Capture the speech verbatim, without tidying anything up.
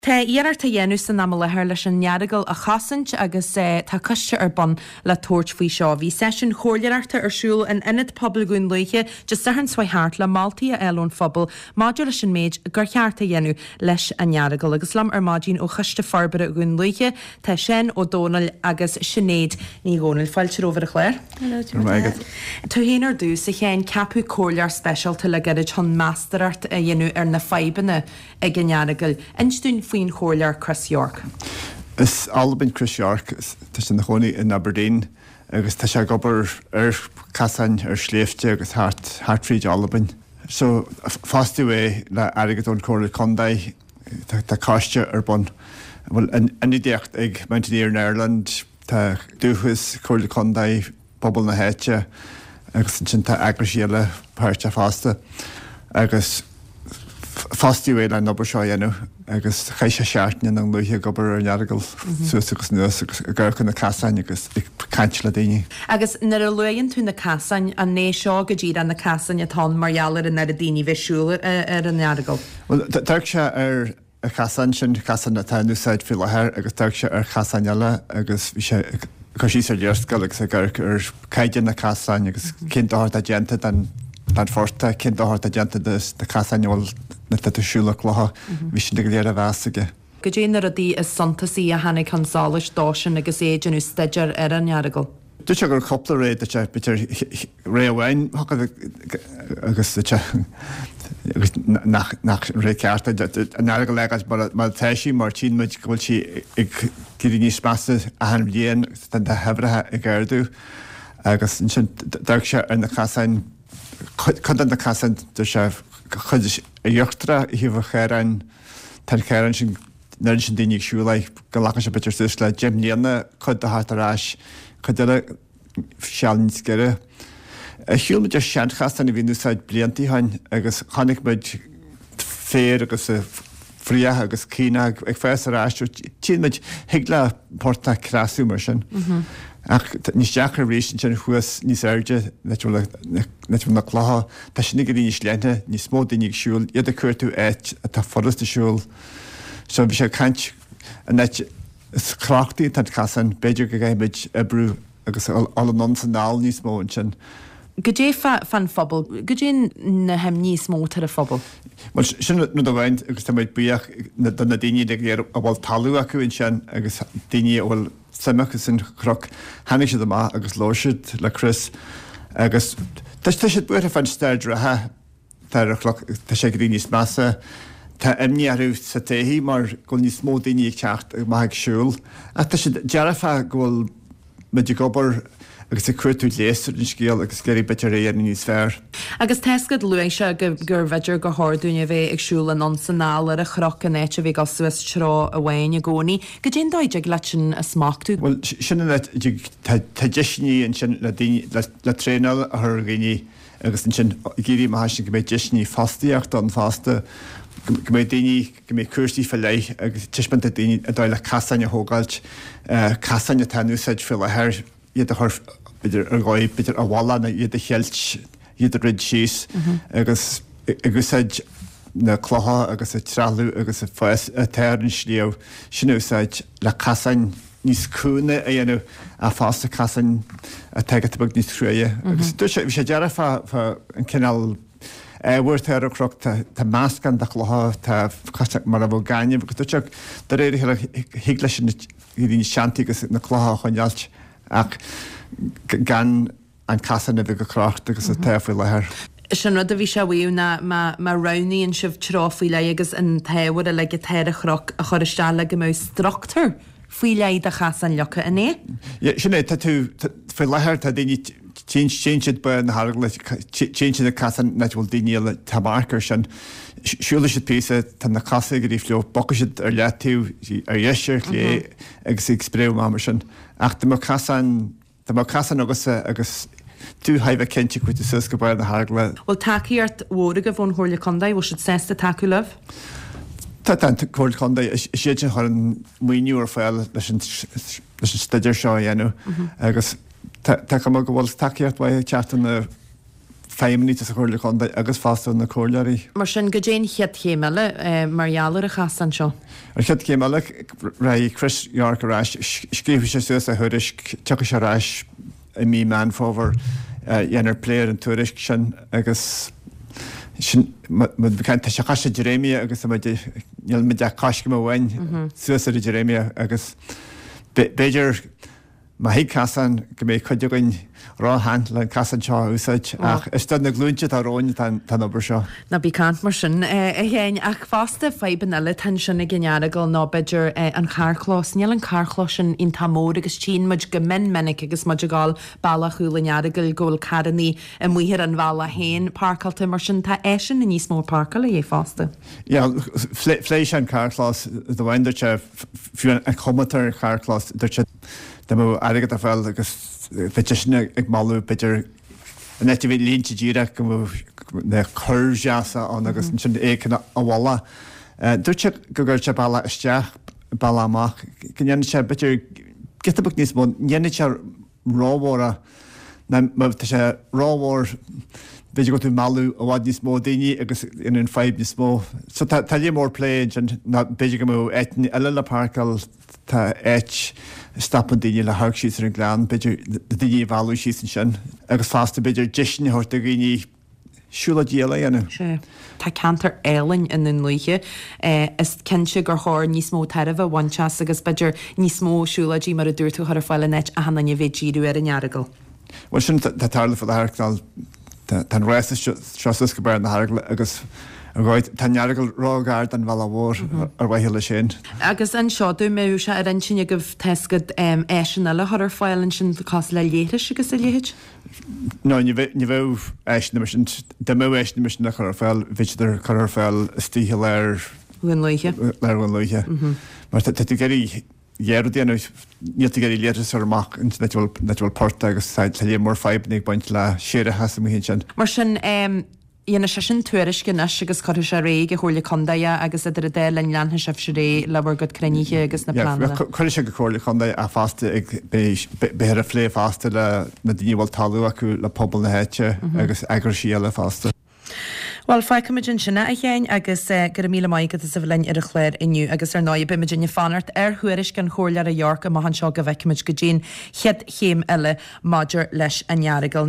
Tá iarracht á dhéanamh san am i láthair leis an Earagail a chosaint agus tá coiste ar bun le tabhairt faoi seo. Bhí seisiún comhairleoireachta ar siúl in Ionad Pobail Dhún Lúiche Dé Sathairn seo thart le moltaí a fháil ón phobal maidir leis an méid gur cheart a dhéanamh leis an Earagail. Agus liom ar maidin ó Choiste Forbartha Dhún Lúiche tá Seán Ó Dónaill agus Sinéad Ní Dhomhnaill. Fáilte romhaibh ar an chlár. Tú féin ar dtús, a Sheáin, ceapadh comhairleoir speisialta le gairid chun meastóireacht a dhéanamh ar na fadhbanna ag an Earagail. Inis dúinn faoin chomhairleoir Chris York. Is Albain Chris York, tá sé ina chónaí in Aberdeen agus tá sé ag obair ar chasáin, ar shléibhte agus thart thart fríd Albain. So fostaíodh é le airgead ón Chomhairle Contae. Tá tá coiste ar bun a bhfuil ionadaíocht ag Mountaineering Ireland, tá Dúchas, Comhairle Contae, pobal na háite agus ansin tá eagraisí eile páirteach fosta agus fostaíodh é le an obair seo a dhéanamh agus chaith sé seachtain i nDún Lúiche ag obair ar an Earagail suas agus anuas agus ag amharc ar na casáin agus ag caint le daoine. Agus nuair a luann tú na casáin, an é seo go díreach na casáin atá ann mar gheall ar an oiread daoine bheith ag siúl ar an Earagail? Bhuel, d'amharc sé ar an chasán sin, casán atá in úsáid faoi láthair agus d'amharc sé ar chasáin eile agus bhí sé ag cur síos ar léarscáil agus ag amharc ar caighdeán na casáin agus cén dochar atá déanta don don phortach, cén dochar atá déanta do na casáin a bhfuil na tá tú ag siúl ar clocha, bhí sin go léir á mheas aige. Goidé na rudaí is suntasaí a tháinig chun solais dósan agus é ag déanamh staidéar ar an Earagail? Dúirt sé go raibh cúpla ré, dúirt sé, b'fhéidir ré amháin agus dúirt sé agus nach nach ré ceart é an Earagail a fhágáil mar mar atá sí mar tchíonn muid go bhfuil sí ag éirí níos measa achan bhliain agus tá na huimhreacha ag ardú agus ansin d'amharc sé ar na casáin, cuid de na casáin dúirt sé cuid íochtarach ó thaobh an chaoráin, tá an caorán sin An oiread sin daoine ag siúl air go nglacann sé b'fhéidir suas le deich mbliana cuid de theacht ar ais, cuid eile seal níos giorra. Shiúil muid ar seanchasán a bhí in úsáid blianta ó shin agus chonaic muid féar agus fraoch agus caonach ag fás ar ais. Tchíonn muid, thig le portach creasadh mar sin. Ach níos deacra arís ansin thuas níos airde, an áit a bhfuil na clocha, tá sin ag éirí níos leithne, níos mó daoine ag siúl, iad ag cuartú áit atá furasta siúl. So bhí sé ag caint an áit is crochtaí atá an casán, b'fhéidir go gcaithfidh muid oibriú agus dul anonn is anall níos mó ansin. Goidé fán phobal, goidé na himní is mó atá ar an phobal? Bhuel sin rud amháin agus tá muid buíoch do na daoine uilig go léir a bhfuil talamh acu ansin agus daoine a bhfuil suim acu san chnoc. Tháinig siad amach agus labhair siad le Chris agus tá siad buartha fán staid reatha. Tá ar an chnoc, tá sé ag éirí níos measa. Tá imní orthu sa todhchaí mar go bhfuil níos mó daoine ag teacht amach ag siúl. Ach tá siad dearfach go bhfuil muid ag obair agus ag cuartú leigheas ar an scéal agus ag iarraidh b'fhéidir é a dhéanamh níos fearr. Agus tá a fhios agat, luaigh sé gurbh fhéidir gur chóir dúinn a bheith ag siúl anonn 's anall ar an chnoc in áit a bheith ag dul suas treo amháin i gcónaí. Goidé an dóigh a dtig leat sin a smachtú? Bhuel, sin an áit a dtig, tá deiseanna ansin le daoine, le traenáil a chur ar dhaoine Agus ansin ag éirí amach ansin go mbeidh deiseanna fostaíochta ann fosta, go mbeidh daoine, go mbeidh cúrsaí fá leith agus taispeáint do daoine an dóigh le casáin a thógáilt, casáin atá in úsáid faoi láthair, iad a chur b'fhéidir ar dhóigh, b'fhéidir a bhalla nó iad a cheilt, iad a throid síos agus ag úsáid na clocha agus an trealamh agus an fás atá ar an sliabh, sin a úsáid le casáin. níos cúinge a dhéanamh ach fosta casáin atá giota beag níos cruaidhe. Agus dúirt sé, bhí sé dearfach fá an cineál ábhair atá ar an chnoc, tá meascán de chlocha, tá cosúil mar a bheadh gaineamh agus dúirt sé de réir a chéile thig leis an éirí níos teanntaí agus na clocha a choinneáilt ach gan an casán a bheith chomh crochta agus atá faoi láthair. Sin rud a bhí sé a mhaíomh ná má má roghnaíonn sibh treo faoi leith agus an t-ábhar uilig atá ar an chnoc a chur isteach le go mbeadh struchtúr faoi leith do chasáin leagtha, an é? Yeah, sin é, tá tú, faoi láthair tá daoine, téann siad barr na hEaragaile, téann siad ag casán an áit a bhfuil daoine eile, tá marc air sin, siúlfaidh siad píosa, tá na cosa ag éirí fliuch, bogfaidh siad ar leataobh, ar dheis, ar chlé agus ag spréadh amach mar sin. Ach dá mbeadh casán, Dá mbeadh casán agatsa agus tú thar a bheith cinnte go bhfuil tú suas go barr na hEaragaile. Bhfuil tacaíocht mhór agaibh ón Chomhairle Contae? Bhfuil siad sásta tacú libh? Tá, tá an Chomhairle Contae, is iad sin a chuireann maoiniú ar fáil leis an leis an staidéar seo a dhéanamh agus tá tá cuma go bhfuil tacaíocht mhaith ag teacht ó na feidhmeannaigh sa Chomhairle Contae agus fosta ó na comhairleoirí. Mar sin, goidé an chéad chéim eile mar gheall ar an chasán seo? An chéad chéim eile, raghaidh Chris York ar ais, scríobfaidh sé suas a thuairisc, tiocfaidh sé ar ais i mí Meán Fómhair, dhéanfar plé ar an tuairisc sin agus sin, tá sé cois na dréimire agus níl muid ach coiscéim amháin suas ar an dréimire agus b'fhéidir Má thig casán go mbeidh cuid againn ró-shean le an casán seo a úsáid, ach is do na glúinte atá romhainn atá an obair seo. Ná bí ag caint mar sin, a Sheáin. Ach fosta, fadhbanna eile atá ansin ag an Earagail ná b'fhéidir an carrchlós. Níl an carrchlós sin iontach mór agus tchíonn muid go mion minic agus muid ag gabháil bealach Chúil an Earagail go bhfuil carrannaí amuigh ar an bhealach féin páirceáilte. Mar sin tá áiseanna níos mó páirceála de dhíth fosta. Yeah, phléigh sé an carrchlós, do bhain, dúirt sé, fiú an chuma atá ar an charrchlós, dúirt sé, Dá mbeadh airgead ar fáil agus bheadh seisean ag moladh b'fhéidir in áit a bheith línte díreach go mbeadh na curves deasa ann agus ansin é a mholadh. Dúirt sé go gcuirfeadh sé bealach isteach, bealach amach, go ndéanfadh sé b'fhéidir giota beag níos mó, ní dhéanfadh sé rómhór é ná má tá sé rómhór b'fhéidir go bhfuil tú ag mealladh i bhfad níos mó daoine agus an fadhb níos mó. So tá tá lear mór plé ansin ná b'fhéidir go mbeadh áiteanna eile le páirceáil Tá áit a stopann daoine le hamharc síos ar an ghleann, b'fhéidir na daoine a mhealladh síos ansin agus fosta b'fhéidir deiseanna a thabhairt do dhaoine siúlóidí eile a dhéanamh. Sea. Tá ceantar álainn i nDún Lúiche. Is cinnte gur chóir níos mó tairbhe a bhaint as agus b'fhéidir níos mó siúlóidí mar a dúirt tú a chur ar fáil in áit achan duine a bheith ag díriú ar an Earagail. Bhuel sin atá ag tarlú faoi láthair, tá an rása seo suas go barr na hEaragaile agus ar dhóigh tá an Earagail ró-ghar don bhealach mhór ar mhaithe leis féin. Agus anseo dá mbeadh sé ar intinn agaibh tá a fhios agat áiseanna eile a chur ar fáil ansin cosúil le leithris agus a leithéid? No, ní bheadh áiseanna mar sin, dá mbeadh áiseanna mar sin le cur ar fáil bheadh siad ar cur ar fáil istigh i lár Dhún Lúiche. Lár Dhún Lúiche. Mar tá tú ag iarraidh dhá rud a dhéanamh, níl tú ag iarraidh leithris a chur amach in áit a bhfuil port agus tá lear mór fadhbanna ag baint le séarachas amuigh ansin. Mar sin, dhéanfaidh seisean tuairisc anois agus cuirfidh sé ar aghaidh ag an Chomhairle Contae é agus idir an dá linn leanfaidh sibhse ar aghaidh le bhur gcuid cruinnithe agus na pleananna. Cuirfidh sé go Comhairle Contae é fosta ag beifear ag plé fosta le na daoine a bhfuil talamh acu, le pobal na háite agus eagraisí eile fosta. Bhuel, fágfaimid ansin é, a Sheáin, agus go raibh míle maith agat as a bheith linn ar an chlár inniu. Agus ar ndóigh, beimid ag fanacht ar thuairisc an Chomhairleora Yorke amach anseo go bhfeicfimid goidé an chéad chéim eile maidir leis an Earagail.